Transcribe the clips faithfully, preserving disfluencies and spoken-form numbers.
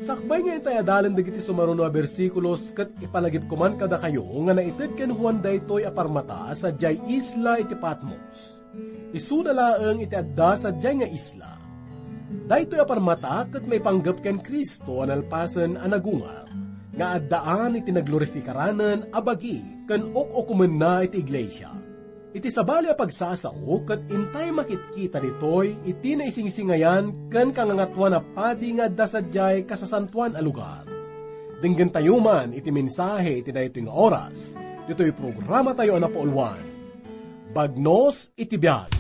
Sakbay nga intay adalen dagiti sumaruno a bersikulos, ket ipalagipko man kadakayo nga naited ken Juan daytoy a parmata sadiay isla iti Patmos. Isuna laeng iti adda sadiay nga isla. Daytoy a parmata ket maipanggep ken Cristo a nalpasen a nagungar, nga addaan iti naglorifikaran a bagi ken uk-ukomenna iti iglesia. Iti sabali a pagsasao ket intay makitkita ditoy iti naisingsingayan ken kangangatuan a padi nga adda sadiay kasasantoan a lugar. Denggentayo man iti mensahe iti daytoy nga oras, ditoy programatayo a napauluan, Bagnos iti Biag.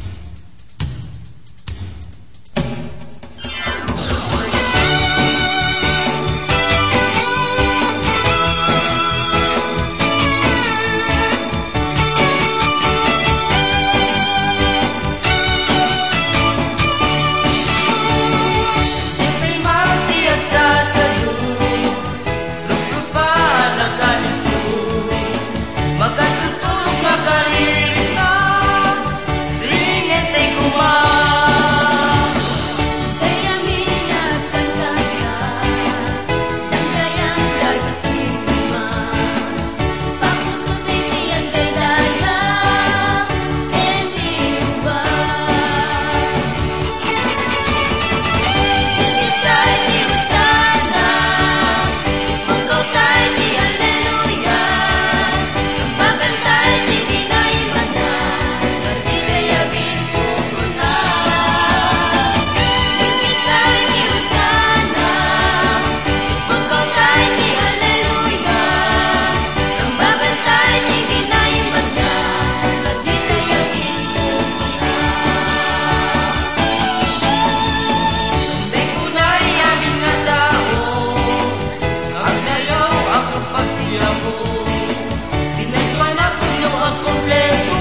Makatutulog nga karirikna, ringet ti guma. Dayami nga agkankana, danggayan dagiti guma. Pakusot iti agdaydaya, ken ti iba. Iti stay ti Hosanna, Pagkawtay ti Alleluia, tambakan tayo ti kinaimbag na, nga di kaya bimbukuna. Iti stay ti Hosanna, pagkawtay ti Alleluia, tambakan tayo ti kinaimbag na, nga di kaya bimbukuna. Tambakan tayo amin nga tao, agdayaw a pagtiapo, pinaysuan a pudno a kompleto,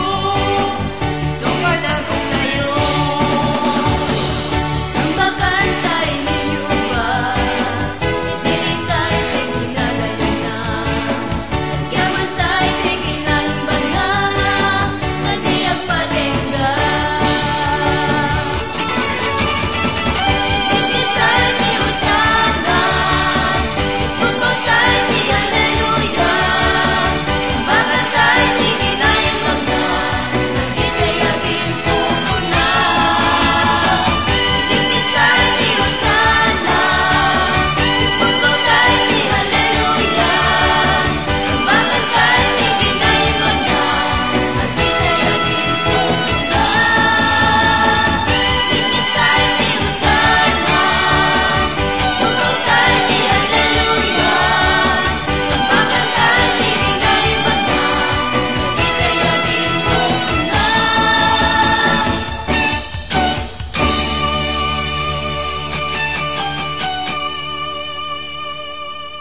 isu nga dangogtayo. Tambakan tayo ni Jehovah, iti rikay ti ginagayatna. Agyaman tayo ti kinaimbag na, nga di agpadengga.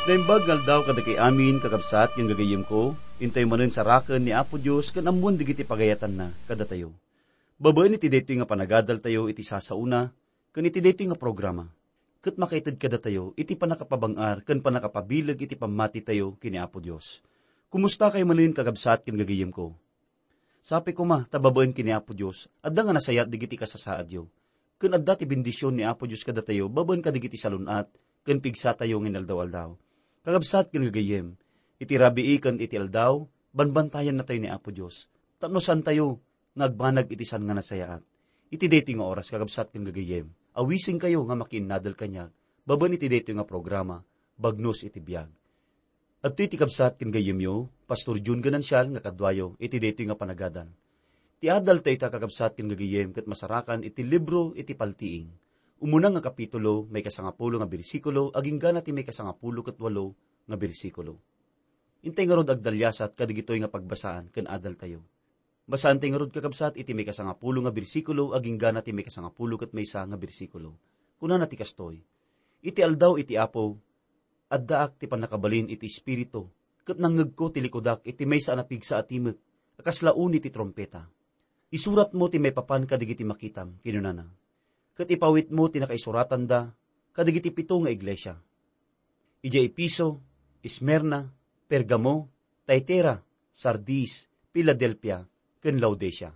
Naimbag nga aldaw kadagiti amin, kakabsat ken gagayyemko, intay manen saraken ni Apo Dios ken ammuen dagiti pagayatanna kadatayo. Babaen iti daytoy nga panagadaltayo iti sasaona ken iti daytoy nga programa, ket makaited kadatayo iti pannakapabang-ar ken pannakapabileg iti pammatitayo ken ni Apo Dios. Kumusta kayo manen, kakabsat ken gagayyemko? Sapay koma ta babaen ken ni Apo Dios, adda nga nasayaat dagiti kasasaadyo, ken adda ti bendision ni Apo Dios kadatayo babaen kadagiti salun-at ken pigsatayo nga inaldaw-aldaw. Kakabsat ken gagayyem, iti rabii ken iti aldaw, banbantayannatayo ni Apo Dios, tapno saantayo nga agbanag iti saan nga nasayaat. Iti daytoy nga oras, kakabsat ken gagayyem, awisenkayo nga makiinnadal kaniak babaen iti daytoy nga programa, Bagnos iti Biag. Adtoy ti kabsat ken gayyemyo, Pastor Jun Ganancial, nga kaduayo iti daytoy nga panagadal. Ti adaltayo ita, kakabsat ken gagayyem, ket masarakan iti libro iti Paltiing, umuna nga kapitulo, maikasangapulo nga bersikulo, aginggana ti maikasangapulo ket walo nga bersikulo. Intay ngarud agdaliasat kadagitoy nga pagbasaan ken adaltayo. Basaentayo ngarud, kakabsat, iti maikasangapulo nga bersikulo aginggana ti maikasangapulo ket maysa nga bersikulo. Kunana ti kastoy, "Iti aldaw iti Apo, addaak ti pannakabalin iti Espiritu, ket nangngegko ti likudak iti maysa a napigsa a timek a kasla uni ti trumpeta. Isuratmo ti maipapan kadagiti makitam," kinunana. "Ket ipawitmo ti nakaisuratanda kadagiti pito nga iglesia. Idiay Efeso, Esmirna, Pergamo, Tiatira, Sardis, Filadelfia, ken Laodicea.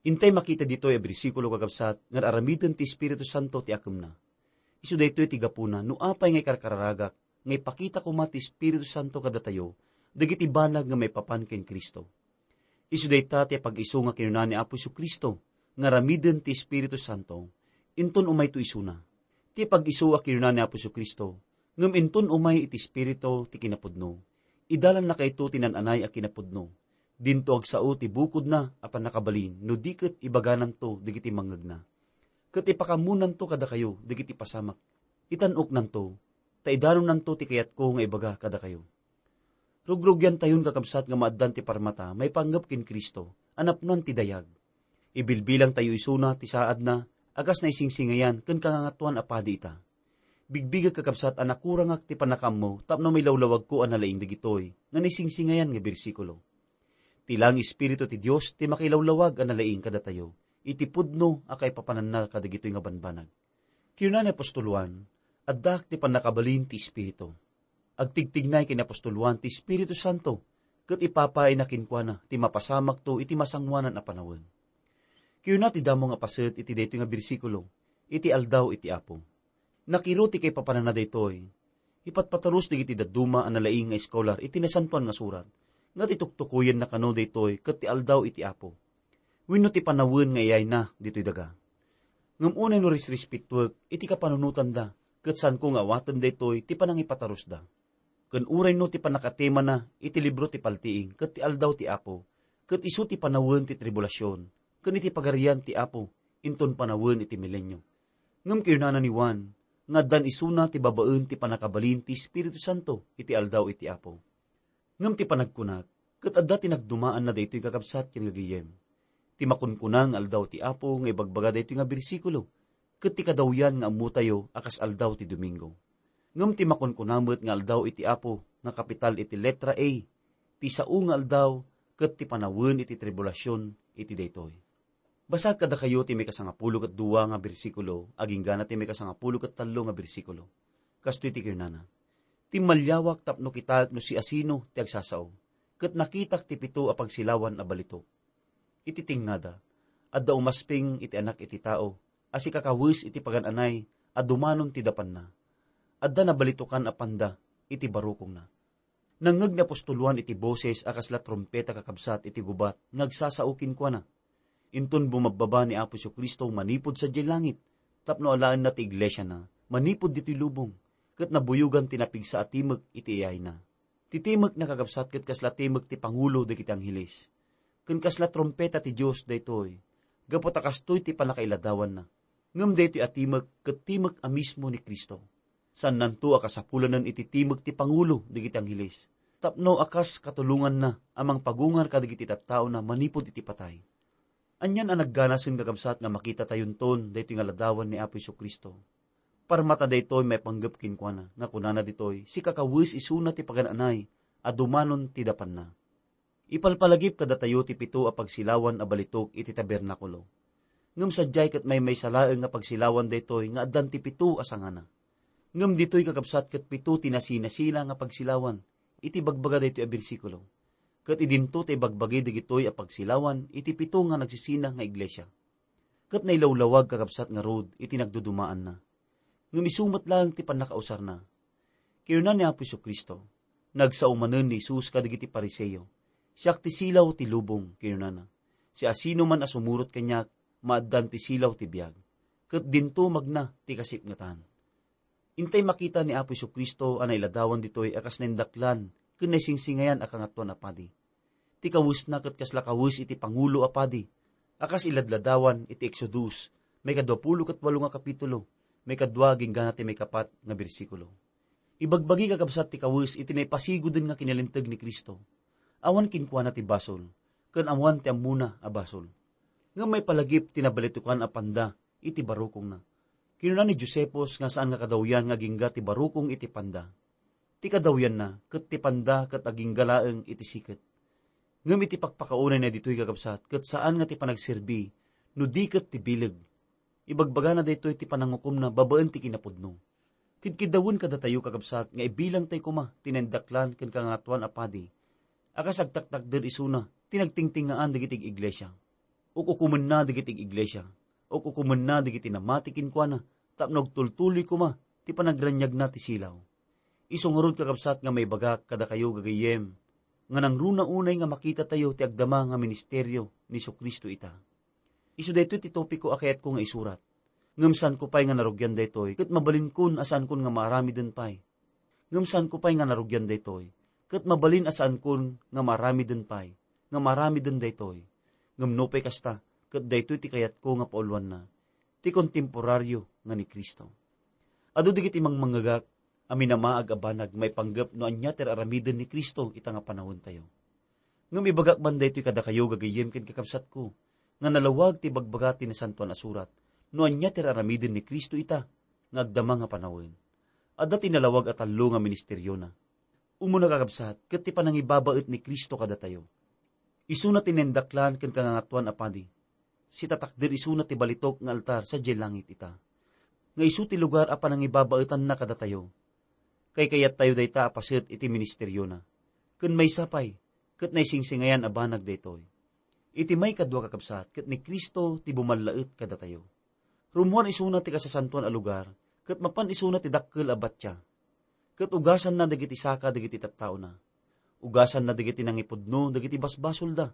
Intay makita ditoy a bersikulo, kakabsat, nga aramiden ti Espiritu Santo ti akemna. Isu daytoy ti gapuna no apay nga ikarkararagak nga ipakita koma ti Espiritu Santo kadatayo dagiti banag nga maipapan ken Cristo. Isu dayta ti pag-isu nga kinuna ni Apo Jesu-Cristo nga aramiden ti Espiritu Santo, inton umayto isuna. Ti pag-isu a kinuna ni Apo Jesu-Cristo, ngem inton umay iti Espiritu ti kinapudno, idalannakayto ti nan-anay a kinapudno. Dinto agsao ti bukodna a pannakabalin no di ket ibagananto dagiti mangngegna. Ket ipakammonanto kadakayo dagiti pasamak. Itan-oknanto, ta idanonnanto ti kayatko nga ibaga kadakayo. Rugrugyantayon, kakabsat, nga maaddan ti parmata maipanggep ken Cristo a napnoan ti dayag. Ibilbilangtayo isuna ti saadna a kas naisingsingayan ken kangangatoan a padi ita. Bigbigek, kakabsat, a nakurangak ti pannakaammo tapno mailawlawagko a nalaing dagitoy nga naisingsingayan nga bersikulo. Ti laeng Espiritu ti Dios ti makilawlawag a nalaing kadatayo iti pudno a kaipapananna kadagitoy nga banbanag. Kinuna ni apostol Juan, "Addaak ti pannakabalin ti Espiritu." Agtigtignay ken ni apostol Juan ti Espiritu Santo, ket ipapaayna kenkuana ti mapasamakto iti masangoanan a panawen. Kinuna ti damo nga paset iti daytoy nga bersikulo, "Iti aldaw iti Apo." Nakiro ti kaipapananna daytoy. Ipatpaturus dagiti dadduma a nalaing nga eskolar iti Nasantoan nga Surat, nga ti tuktukoyenna kano daytoy ket ti aldaw iti Apo, wenno ti panawen nga iyayna ditoy daga. Ngem unay no risrespetoek iti kapanunotanda, ket saanko nga awaten daytoy ti panangipaturusda. Ken uray no ti pannakatemana iti libro ti paltiing ket ti aldaw ti Apo, ket isu ti panawen ti tribulasion, ken iti pagarian ti Apo, inton panawen iti milenio. Ngem kinunana ni Juan, nga addan isuna ti babaen ti pannakabalin ti Espiritu Santo iti aldaw iti Apo. Ngem ti panagkunak, ket adda ti nagdumaanna daytoy, kakabsat ken gagayem. Ti makunkuna nga aldaw ti Apo nga ibagbaga daytoy nga bersikulo, ket ti kadawyan nga ammotayo a kas aldaw ti Domingo. Ngem ti makunkuna met nga aldaw iti Apo nga kapital iti letra A, ti sao nga aldaw ket ti panawen iti tribulasion iti daytoy. Basaek kadakayo ti maikasangapulo ket dua nga bersikulo, aginggana ti maikasangapulo ket tallo nga bersikulo. Kastoy ti kinunana, "Timmaliawak tapno kitaek no siasino ti agsasao, ket nakitak ti pito a pagsilawan a balitok. Iti tingngada, adda umasping iti Anak iti Tao a sikakawes iti pagan-anay a dumanon ti dapanna. Adda nabalitokan a panda iti barukongna." Nangngeg ni apostol Juan iti boses a kasla trumpeta, kakabsat, iti gubat nga agsasao kenkuana. Inton bumabbaba ni Apo Jesu-Cristo manipud sadiay langit tapno alaenna ti iglesiana manipud ditoy lubong, ket nabuyogan ti napigsa a timek iti iyayna. Ti timek, kakabsat, ket kasla timek ti pangulo dagiti angheles. Ken kasla trumpeta ti Dios daytoy, gapu ta kastoy ti pannakailadawanna. Ngem daytoy a timek ket timek a mismo ni Cristo. Saannanto a kasapulanen iti timek ti pangulo dagiti angheles, tapno a kas katulonganna a mangpagungar kadagiti tattaona manipud iti patay. Anian a nagganasen, kakabsat, nga makitatayonton daytoy nga ladawan ni Apo Jesu-Cristo. Parmata daytoy maipanggep kenkuana nga kunana ditoy, sikakawes isuna ti pagan-anay a dumanon ti dapanna. Ipalpalagip kadatayo ti pito a pagsilawan a balitok iti tabernakulo. Ngem sadiay ket maymaysa laeng nga pagsilawan daytoy nga addan ti pito a sangana. Ngem ditoy, kakabsat, ket pito ti nasinasina nga pagsilawan iti bagbaga daytoy a bersikulo. Ket idinto ti ibagbagi dagitoy a pagsilawan iti pito nga nagsisina nga iglesia. Ket nailawlawag, kakabsat, ngarud iti nagdudumaanna. Ngem isu met laeng ti pannakausarna. Kinuna ni Apo Jesu-Cristo, nagsao manen ni Jesus kadagiti Fariseo, "Siak ti silaw ti lubong," kinunana. "Siasinoman a sumurot kaniak, maaddan ti silaw ti biag, ket dinto magna ti kasipngetan." Intay makita ni Apo Jesu-Cristo a nailadawan ditoy a kas naindaklan ken naisingsingayan a Kangatoan a Padi. Ti kawesna ket kasla kawes iti pangulo a padi a kas iladladawan iti Exodus, maikadua pulo ket walo nga kapitulo, maikadua agingga ti maikapat nga bersikulo. Ibagbagi, kakabsat, ti kawes iti naipasigoden nga kinalinteg ni Cristo. Awan kenkuana ti basol, ken awan ti ammona a basol. Ngem maipalagip ti nabalitokan a panda iti barukongna. Kinuna ni Josephus nga saan nga kadawyan nga agingga ti barukong iti panda. Ti kadawyanna ket ti panda ket agingga laeng iti siket. Ngem iti pakpakaunayna ditoy, kakabsat, ket saan nga ti panagserbi no di ket ti bileg. Ibagbagana daytoy ti panangukomna babaen ti kinapudno. Kidkiddawen kadatayo, kakabsat, nga ibilangtay koma ti naindaklan ken kangatoan a padi a kas agtaktakder isuna ti nagtingtingaan dagiti iglesia. Uk-ukumenna dagiti iglesia. Uk-ukumenna dagiti namati kenkuana tapno agtultuloy koma ti panagraniagna ti silaw. Isu ngarud, kakabsat, nga maibagak kadakayo gagayyem, nga nangruna unay nga makitatayo ti agdama nga ministerio ni Jesu-Cristo ita. Isu daytoy ti topiko a kayatko nga isurat. Ngem saanko pay nga narugian daytoy, ket mabalinkon a saankon nga maaramiden pay. Ngem saanko pay nga narugian daytoy, ket mabalin a saankon nga maaramiden pay, nga maaramiden daytoy. Ngem nupay kasta, ket daytoy ti kayatko nga pauloanna, ti kontemporario nga ni Cristo. Adu dagiti mangmangngegak a minamaag a banag maipanggep no ania ti aramiden ni Cristo ita nga panawentayo. Ngem ibagak man daytoy kadakayo, gagayyem ken kakabsatko, nga nalawag ti ibagbaga ti Nasantoan a Surat no ania ti aramiden ni Cristo ita nga agdama nga panawen. Adda ti nalawag a tallo nga ministeriona. Umuna, kakabsat, ket ti panangibabaet ni Cristo kadatayo. Isuna ti naindaklan ken kangangatoan a padi. Sitatakder isuna ti balitok nga altar sadiay langit ita, nga isu ti lugar a panangibabaetanna kadatayo. Kaykayattayo dayta a paset iti ministeriona. Ken maysa pay, ket naisingsingayan a banag daytoy. Iti maikadua, kakabsat, ket ni Cristo ti bumallaet kadatayo. Rummuar isuna ti kasasantoan a lugar, ket mapan isuna ti dakkel a batia. Ket ugasanna dagiti saka dagiti tattaona. Ugasanna dagiti nangipudno dagiti basbasolda.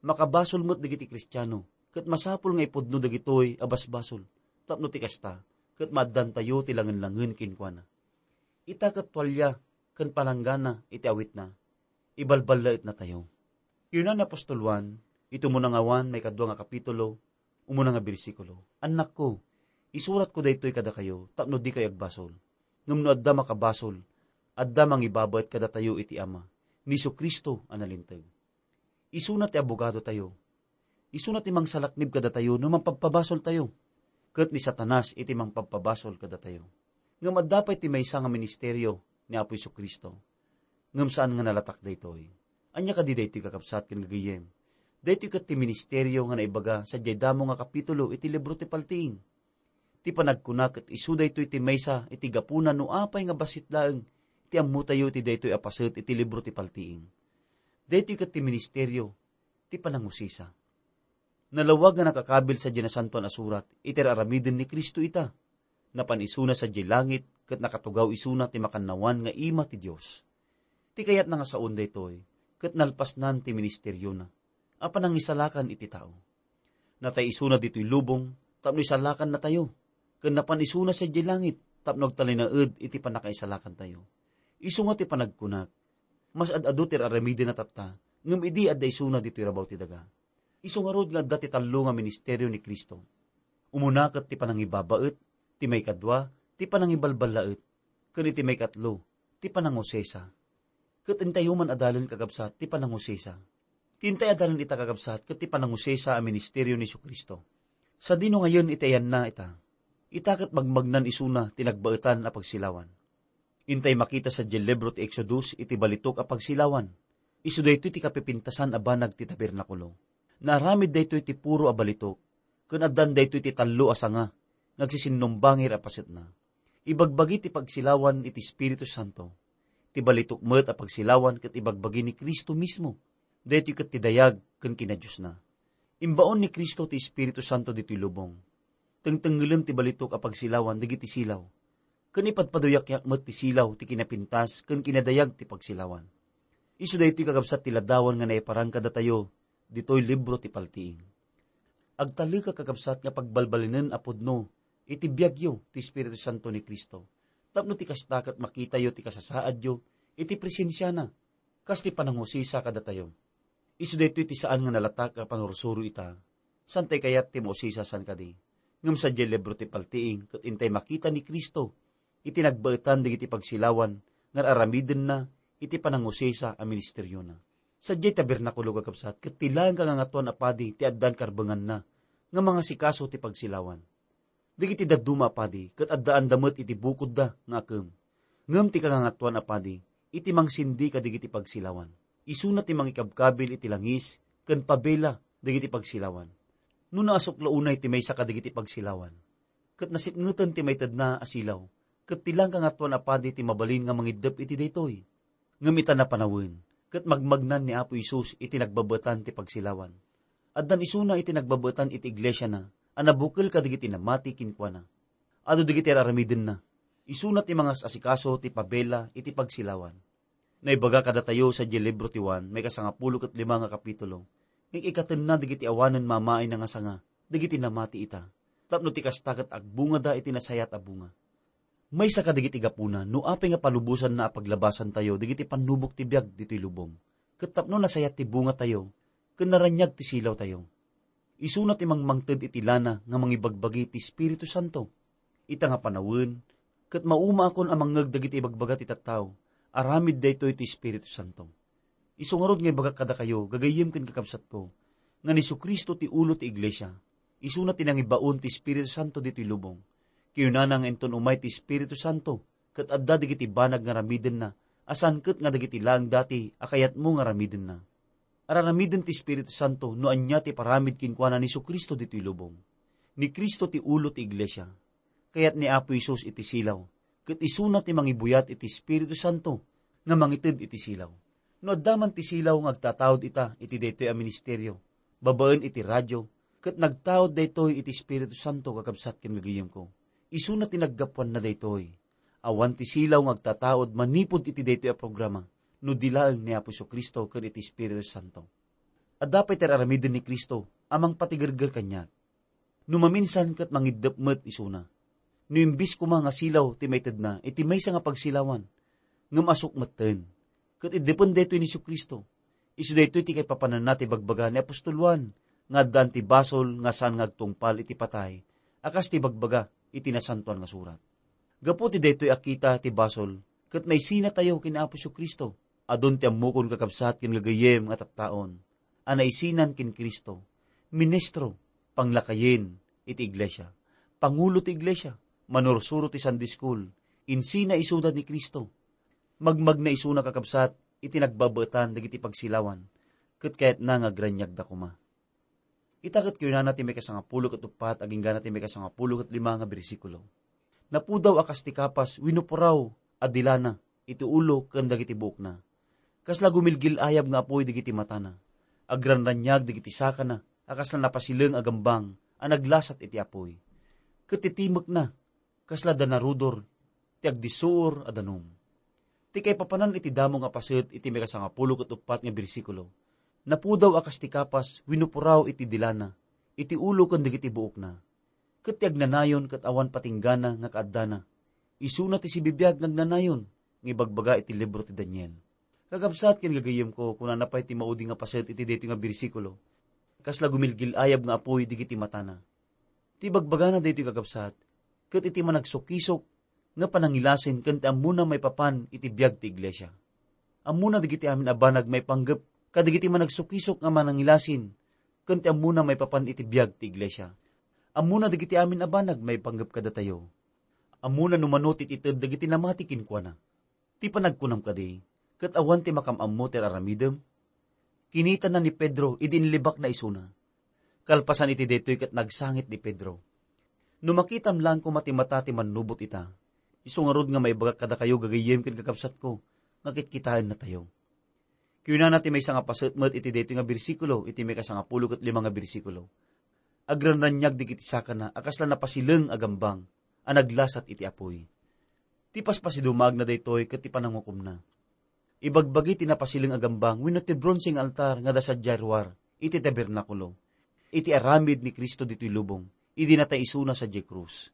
Makabasol met dagiti Kristiano, ket masapul nga ipudno dagitoy a basbasol, tapno ti kasta, ket maaddantayo ti langenlangen kenkuana. Ita ket tualia ken palanggana iti awitna, ibalballaetnatayo. Kinuna ni apostol Juan, iti umuna nga Juan, maikadua nga kapitulo, umuna nga bersikulo, "Annakko, isuratko daytoy kadakayo tapno dikayo agbasol. Ngem no adda makabasol, adda mangibabaet kadatayo iti Ama, ni Jesu-Cristo a nalinteg." Isuna ti abogadotayo. Isuna ti mangsalaknib kadatayo no mangpabpabasoltayo. Ket ni Satanas iti mangpabpabasol kadatayo. Ngem adda pay ti maysa nga ministerio ni Apo Jesu-Cristo. Ngem saan nga nalatak daytoy. Ania kadi daytoy, kakabsat ken gagayyem? Daytoy ket ti ministerio nga naibaga sadiay damo nga kapitulo iti libro ti Paltiing. Ti panagkuna ket isu daytoy ti maysa iti gapuna no apay nga bassit laeng ti ammotayo iti daytoy a paset iti libro ti Paltiing. Daytoy ket ti ministerio ti panangusisa. Nalawag nga nakakabil sadiay Nasantoan a Surat iti aramiden ni Cristo ita. Napan isuna sadiay langit ket nakatugaw isuna ti makannawan nga ima ti Dios. Ti kayatna nga saon daytoy ket nalpasnan ti ministeriona a panangisalakan iti tao. Natay isuna ditoy lubong tapno isalakannatayo, ken napan isuna sadiay langit tapno agtalinaed iti pannakaisalakantayo. Isu nga ti panagkunak, mas ad-adu ti ar-aramiden a tatta, ngem idi adda isuna ditoy rabaw ti daga. Isu ngarud nga adda ti tallo nga ministerio ni Cristo. Umuna ket ti panangibabaet, ti maikadua, ti panangibalballaet, ken iti maikatlo, ti panangusisa. Ket intayo man adalen, kakabsat, ti panangusisa. Ti intay adalen ita, kakabsat, ket ti panangusisa a ministerio ni Jesu-Cristo. Sadino ngayon iti ayanna ita? Ita ket magmagnan isuna ti nagbaetan a pagsilawan. Intay makita sadiay libro ti Exodus iti balitok a pagsilawan. Isu daytoy ti kapipintasan a banag ti tabernakulo. Naaramid daytoy ti puro a balitok, ken addan daytoy ti tallo a sanga nga agsisinumbangir a pasetna. Ibagbagi ti pagsilawan iti Espiritu Santo. Ti balitok met a pagsilawan ket ibagbagi ni Cristo mismo. Daytoy ket ti dayag ken kinadiosna. Imbaon ni Cristo ti Espiritu Santo ditoy lubong. Tengtengngelen ti balitok a pagsilawan dagiti silaw. Ken ipadpaduyakyak met ti silaw ti kinapintas ken kinadayag ti pagsilawan. Isu daytoy, kakabsat, ti ladawan nga naiparang kadatayo ditoy libro ti Paltiing. Agtalek, kakabsat, nga pagbalbalinen a pudno iti biagyo ti Espiritu Santo ni Cristo, tapno ti kasta ket makitayo ti kasasaadyo iti presensiana, kas ti panangusisa kadatayo. Isu daytoy ti saan nga nalatak a panursuro ita. Saan tay kayat ti mausisa, saan kadi? Ngem sadiay libro ti Paltiing ket intay makita ni Cristo iti nagbaetan dagiti pagsilawan nga ar-aramidenna iti panangusisa a ministeriona. Sadiay tabernakulo, kakabsat, ket ti laeng kangangatoan a padi ti addan karbenganna nga mangasikaso ti pagsilawan. Dagiti dadduma a padi ket addaanda met iti bukodda nga akem. Ngem ti kangangatoan a padi iti mangsindi kadagiti pagsilawan. Isuna ti mangikabkabil iti langis ken pabela dagiti pagsilawan. No naasukla unay ti maysa kadagiti pagsilawan, ket nasipngeten ti maitedna a silaw, ket ti laeng kangatoan a padi ti mabalin nga mangiddep iti daytoy. Ngem ita napanawen, ket magmagnan ni Apo Jesus iti nagbabaetan ti pagsilawan. Addan isuna iti nagbabaetan iti iglesiana a nabukel kadagiti namati kenkuana. Adu dagiti ar-aramidenna. Isuna ti mangas-asikaso ti pabela iti pagsilawan. Naibaga kadatayo sadiay libro ti Juan, maikasangapulo ket lima nga kapitulo, nga ikatenna dagiti awanen mamaina nga sanga dagiti namati ita, tapno ti kasta ket agbungada iti nasayaat a bunga. Maysa kadagiti gapuna no apay nga palubosanna a paglabasantayo dagiti pannubok ti biag ditoy lubong, ket tapno nasayaat ti bungatayo ken naraniag ti silawtayo. Isuna ti mangmangted iti lana nga mangibagbagi ti Espiritu Santo. Ita nga panawen, ket maumaakon a mangngeg dagiti ibagbaga ti tattao, aramid daytoy ti Espiritu Santo. Isu ngarud nga ibagak kadakayo, gagayyem ken kakabsatko, nga ni Jesu-Cristo ti ulo ti iglesia. Isuna ti nangibaon ti Espiritu Santo ditoy lubong. Kinunana nga inton umay ti Espiritu Santo, ket adda dagiti banag nga aramidenna, a saan ket nga dagiti laeng dati a kayatmo nga aramidenna. Ar-aramiden ti Espiritu Santo no ania ti paramid kenkuana ni Jesu-Cristo ditoy lubong. Ni Cristo ti ulo ti iglesia. Kayat ni Apo Jesus iti silaw, ket isuna ti mangibuyat iti Espiritu Santo nga mangited iti silaw. No adda man ti silaw nga agtataud ita iti daytoy a ministerio, babaen iti radio, ket nagtaud daytoy iti Espiritu Santo, kakabsat ken gagayyemko. Isuna ti naggapuanna daytoy. Awan ti silaw nga agtataud manipud iti daytoy a programa no di laeng ni Apo Jesu-Cristo ken iti Espiritu Santo. Adda pay ti ar-aramiden ni Cristo a mangpatigerger kaniak. No maminsan ket mangiddep met isuna. No imbis koma nga silaw ti maitedna iti maysa nga pagsilawan, ngem asuk metten. Ket iddepen daytoy ni Jesu-Cristo. Isu daytoy ti kaipapananna ti bagbaga ni apostol Juan, nga addaan ti basol nga saan nga agtungpal iti patay, a kas ti bagbaga iti Nasantoan nga Surat. Gapu ti daytoy a kita ti basol, ket maisinatayo ken Apo Jesu-Cristo. Adun ti ammokon, kakabsat ken gagayyem, nga tattaon a naisinan ken Cristo, ministro, panglakayen iti iglesia, pangulo ti iglesia, manursuro ti Sunday school, insina isuda ni Cristo. Magmagna isuna, kakabsat, iti nagbabaetan dagiti pagsilawan, ket kayatna nga agraniagda koma. Ita ket kinunana ti maikasangapulo ket uppat agingga ti maikasangapulo ket lima nga bersikulo. Napudaw a kas ti kapas wenno puraw a dilana iti ulo ken dagiti buokna. Kasla gumilgil-ayab nga apuy dagiti matana. Agranraniag dagiti sakana a kasla napasileng a gambang a naglasat iti apuy. Ket ti timekna kasla danarudor ti agdisuor a danum. Ti kaipapanan iti damo nga paset iti maikasangapulo ket uppat nga bersikulo, napudaw a kas ti kapas wenno puraw iti dilana, iti ulo ken dagiti buokna. Ket ti agnanayon ket awan patinggana nga kaaddana, isuna ti sibibiag nga agnanayon nga ibagbaga iti libro ti Daniel. Kakabsat ken gagayyemko, kunana pay ti maudi nga paset iti daytoy nga bersikulo, kasla gumilgil-ayab nga apuy dagiti matana. Ti bagbagana daytoy, kakabsat, ket iti managsukisok nga panangilasin ken ti ammona maipapan iti biag ti iglesia. Ammona dagiti amin a banag maipanggep kadagiti managsukisok nga manangilasin ken ti ammona maipapan iti biag ti iglesia. Ammona dagiti amin a banag maipanggep kadatayo. Ammona no mano ti ited dagiti namati kenkuana. Ti panagkunam kadi, ket awan ti makam-ammo ti ar-aramidem? Kinitana ni Pedro idi inlibakna isuna. Kalpasan iti daytoy ket nagsangit ni Pedro. No makitam laeng koma ti mata ti mannubot ita, isu ngarud nga maibagak kadakayo, gagayyem ken kakabsatko, nga kitkitaennatayo. Kinunana ti maysa nga paset met iti daytoy nga bersikulo, iti maikasangapulo ket lima nga bersikulo, "Agranraniag dagiti sakana a kasla napasileng a gambang a naglasat iti apuy." Ti paspasidumaagna daytoy ket ti panangukomna. Ibagbagi ti napasileng a gambang wenno ti bronse nga altar nga adda sadiay ruar iti tabernakulo, iti aramid ni Cristo ditoy lubong, idi natay isuna sadiay krus.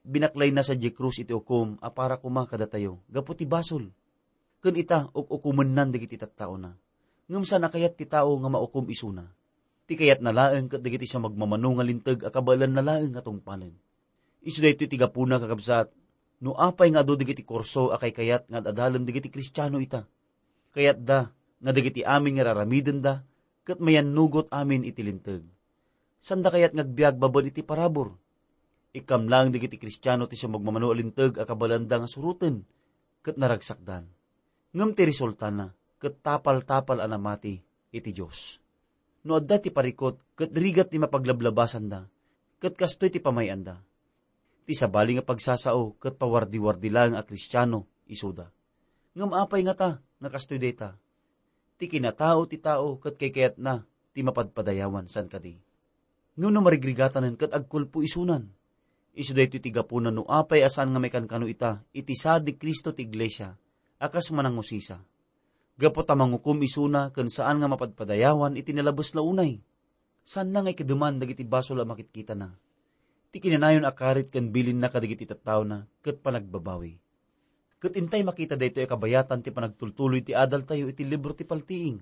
Binaklayna sadiay krus iti ukom a para koma kadatayo gapu ti basol. Ken ita, uk-ukomennan dagiti tattaona. Ngem saan a kayat ti tao nga maukom isuna. Ti kayatna laeng ket dagiti sumagmamano nga linteg a kabaelanna laeng a tungpalen. Isu daytoy ti gapuna, kakabsat, no apay nga adu dagiti kurso a kaykayat nga ad-adalen dagiti Kristiano ita. Kayatda nga dagiti amin nga raramidenda ket mayannugot amin iti linteg. Saanda kayat nga agbiag babaen iti parabur? Ikkam laeng dagiti Kristiano ti sumagmamano a linteg a kabaelanna nga suroten ket naragsakdan. Ngem ti resultana ket tapal-tapal a namati iti Dios. No adda ti parikut ket rigat ti mapaglablabasanda, ket kastoy ti pamay-anda. Ti sabali nga pagsasao ket pawardi-wardi laeng a Kristiano isuda. Ngem apay ngata nga kastoy dayta? Ti kinatao ti tao ket kaykayatna ti mapadpadayawan, saan kadi? Ngem no marigrigatanen ket agkulpo isunan, isu daytoy ti gapuna no apay a saan nga maikankano ita iti saad ni Cristo ti iglesia a kas manangusisa. Gapu ta mangukom isuna ken saan nga mapadpadayawan iti nalabes la unay. Saanna nga ikedeman dagiti basol a makitkitana. Ti kinanayon a karit ken bilinna kadagiti tattaona ket panagbabawi. Ket intay makita daytoy a kabayatan ti panagtultuloy ti adaltayo iti libro ti Paltiing.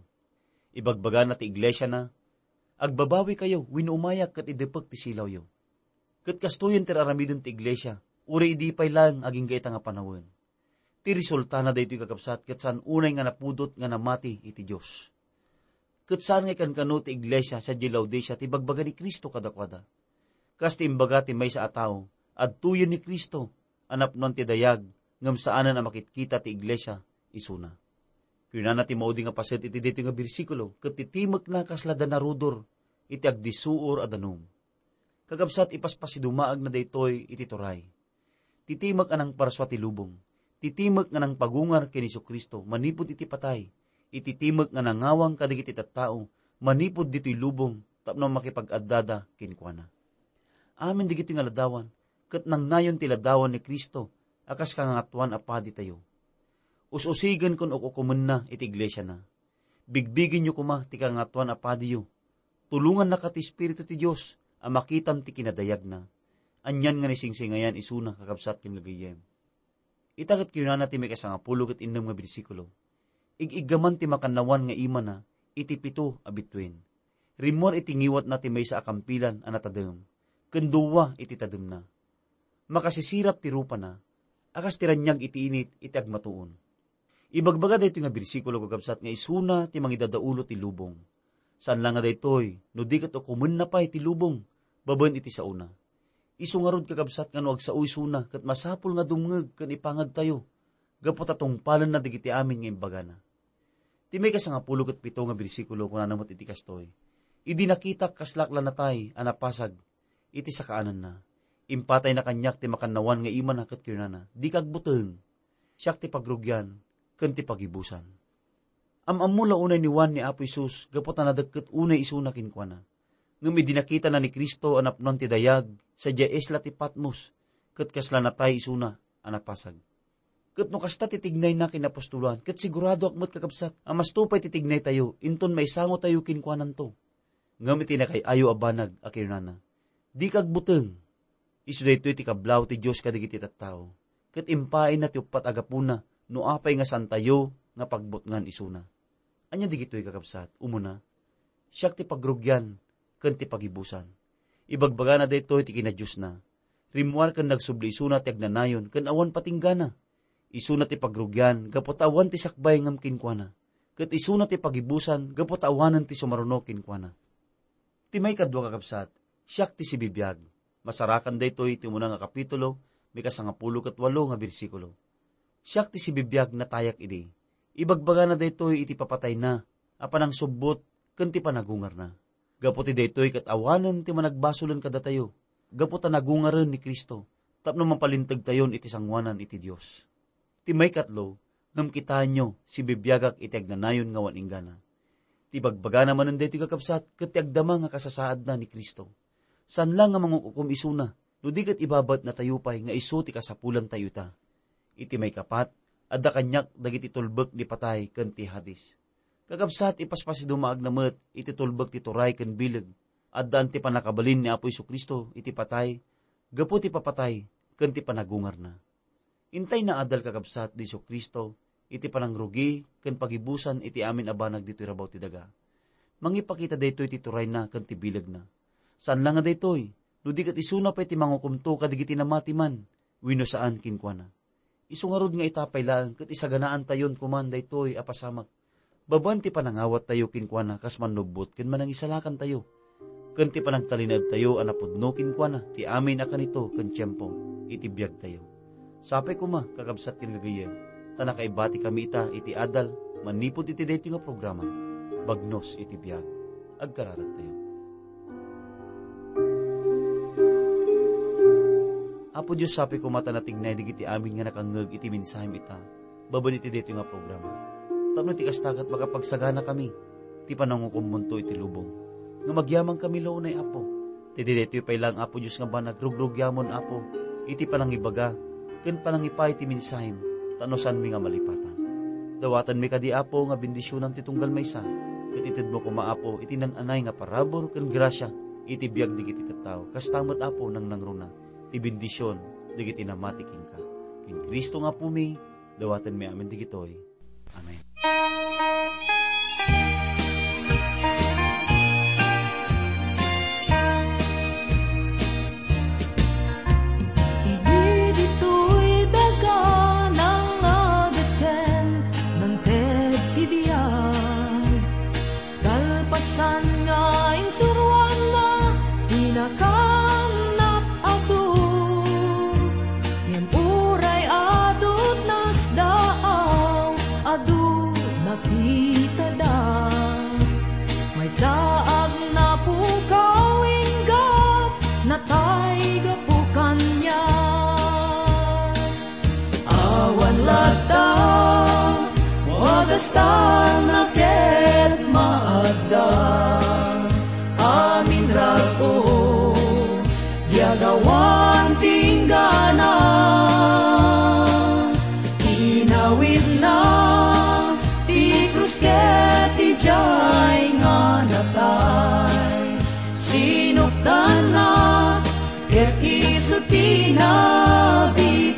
Ibagbagana ti iglesiana, "Agbabawikayo wenno umayak ket idepek ti silawyo." Ket kastoyen ti aramiden ti iglesia, uray idi pay laeng agingga ita nga panawen. Ti resultana daytoy, kakabsat, ket saan unay nga napudot nga namati iti Dios. Ket saan nga ikankano ti iglesia sadiay Laodicea ti ibagbaga ni Cristo kadakuada. Kas ti imbaga ti maysa a tao, adtoyen ni Cristo a napnoan ti dayag, ngem saanen a makitkita ti iglesia isuna. Kunana ti maudi nga paset iti daytoy nga bersikulo, "Ket ti timekna kasla danarudor iti agdisuor a danum." Kakabsat, ipaspasidumaagna daytoy iti turay. Ti timek a nangparsua ti lubong. Ti timek nga nangpagungar ken Jesu-Cristo manipud iti patay. Iti timek nga nangawang kadagiti tattao manipud ditoy lubong tapno makipag-addada kenkuana. Amin dagitoy nga ladawan, ket nangnayon ti ladawan ni Cristo a kas Kangangatuan a Paditayo. Us-usigen ken uk-ukomenna iti iglesiana. Bigbigenyo koma ti Kangangatuan a Padiyo. Tulongannaka ti Espiritu ti Dios a makitam ti kinadayagna. Anian nga naisingsingayan isuna, kakabsat ken gagayyem. Ita ket kinunana ti maikasangapulo ket innem nga bersikulo, "Ig-iggaman ti makannawan nga imana iti pito a bituen. Rimmuar iti ngiwatna ti maysa a kampilan a natadem, ken dua iti tademna. Makasisirap ti rupana, a kas ti raniag iti init iti agmatuon." Ibagbaga daytoy nga bersikulo, kakabsat, nga isuna ti mangidadaulo ti lubong. Saan la nga daytoy, no di ket ukomenna pay ti lubong babaen iti saona. Isu ngarud, kakabsat, nga no agsao isuna, ket masapul nga dumngeg ken ipangagtayo, gapu ta tungpalenna dagiti amin nga imbagana. Ti maikasangapulo ket pito nga bersikulo kunana met iti kastoy, "Idi nakitak, kaslak la natay a napasag iti sakaananna. Impatayna kaniak ti makannawan nga imana ket kinunana, 'Dika agbuteng. Siak ti pagrugian ken ti pagibusan.'" Am-ammo la unay ni Juan ni Apo Jesus gapu ta nadekket unay isuna kenkuana. Ngem idi nakitana ni Cristo a napnoan ti dayag sadiay isla ti Patmos, ket kasla natay isuna a napasag. Ket no kasta ti tignayna ken napostolan, ket siguradoak met, kakabsat, a masto pay ti tignaytayo inton maisangotayo kenkuananto. Ngem iti nakay-ayo a banag a kinunana, "Dika agbuteng." Isu daytoy ti kablaaw ti Dios kadagiti tattao, ket impaayna ti uppat a gapuna no apay nga saantayo nga pagbutngan isuna. Ania dagitoy, kakabsat? Umuna, "Siak ti pagrugian ken ti pagibusan." Ibagbagana daytoy ti kinadiosna. Rimmuar ken nagsubli isuna ti agnanayon ken awan patinggana. Isuna ti pagrugian gapu ta awan ti sakbay ngem kenkuana, ket isuna ti pagibusan gapu ta awanen ti sumaruno kenkuana. Ti maikadua, kakabsat, "Siak ti sibibiag." Masarakan daytoy ti umuna nga kapitulo, maikasangapulo ket walo nga bersikulo. "Siak ti sibibiag, natayak idi." Ibagbagana daytoy iti papatayna a panangsubbot ken ti panagungarna. Gapu ti daytoy ket awanen ti managbasolen kadatayo, gapu ta nagungaren ni Cristo, tapno mapalintegtayon iti sangoanan iti Dios. Ti maikatlo, ngem kitaenyo, sibibiagak iti agnanayon nga awan inggana. Ti ibagbagana manen daytoy, kakabsat, ket ti agdama nga kasasaadna ni Cristo. Saan la nga mangukukom isuna, no di ket ibabaetnatayo pay nga isu ti kasapulantayo ita. Iti maikapat, adda kaniak dagiti tulbek ni patay ken ti Hades. Kakabsat, ipaspasidumaagna met iti tulbek ti turay ken bileg. Addaan ti pannakabalin ni Apo Jesu-Cristo iti patay, gapu ti papatay ken ti panagungarna. Intay naadal, kakabsat, ni Jesu-Cristo iti panangrugi ken pagibusan iti amin a banag ditoy rabaw ti daga. Mangipakita daytoy ti turayna ken ti bilegna. Saan la nga daytoy, no di ket isuna pay ti mangukomto kadagiti namati man wenno saan kenkuana. Isu ngarud nga ita pay laeng ket isaganaantayon koman daytoy a pasamak. Babaen ti panangawattayo kenkuana kas mannubbot ken manangisalakantayo, ken ti panangtalinaedtayo a napudno kenkuana ti amin a kanito ken tiempo iti biagtayo. Sapay koma, kakabsat ken gagayyem, ta nakaibatikami ita iti adal manipud iti daytoy nga programa, Bagnos iti Biag. Agkararagtayo. Apo Dios, sapay koma ta natignay dagiti amin nga nakangngeg iti mensahem ita, babaen iti daytoy nga programa. Tapno ti kasta ket makapagsaganakami ti panangukommonto iti lubong. Nga magyamankami la unay, Apo. Ti daytoy pay laeng, Apo Dios, nga banag, rugrugyamon, Apo, iti panangibaga ken panangipay ti mensahem, ta no saanmi nga malipatan. Dawatenmi kadi, Apo, nga bendisionan ti tunggal maysa, ket itedmo koma, Apo, iti naan-anay nga parabur ken grasia iti biag dagiti tattao. Kasta met, Apo, nangnangruna ti bendision dagiti namati kenka. Ken Cristo nga Apomi, dawatenmi amin dagitoy. Amen. Idi ditoy daga nangagesken, nangted ti biag. Kalpasan nga insuroanna ti nakaannak adu, ngem uray adu ti nasdaaw, adu nakitada. Maysa a napukaw, inggat natay gapu kaniak. Awan latta, wagastan a ket maadda. Amin rag-o, biag awan tinggana. Inawidna ti krus ket idiay nga natay. Sinukdanna ket isu ti nabitay.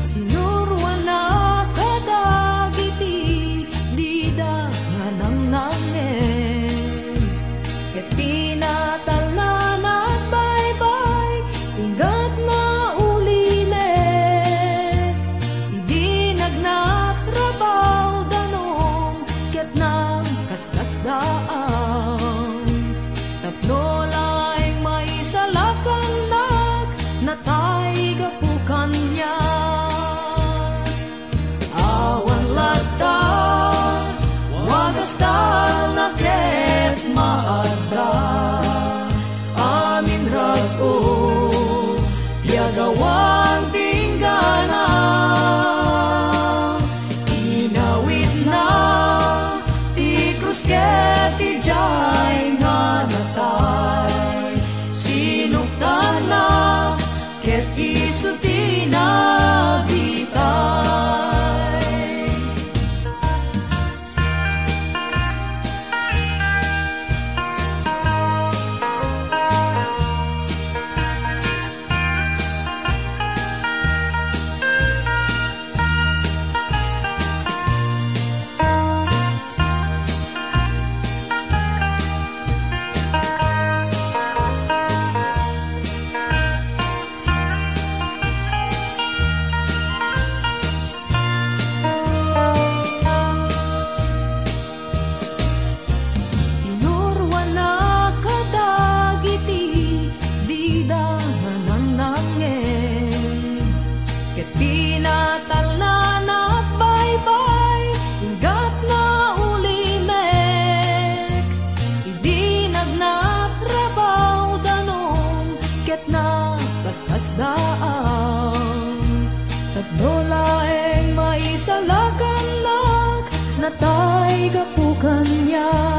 Sinuroanna kadagiti dida nga nangnangneg, ket pinatalna nagbaybay, inggat naulimek. Idi nagnatrabaw danum, ket nagkasdaaw. Tapno laeng maisalakannak, natay gapu kaniak. Awan latta, wagastan a ket maadda. Amin rag-o, biag awan tinggana. Inawidna ti krus ket idiay nga natay. Sinukdanna ket isu ti nabitay. Sinuroanna kadagiti dida nga nangnangneg, ket pinatalna nagbaybay, inggat naulimek. Idi nagnatrabaw danum, ket nagkaskasdaaw. Tapno laeng maisalakannak, natay gapu kaniak.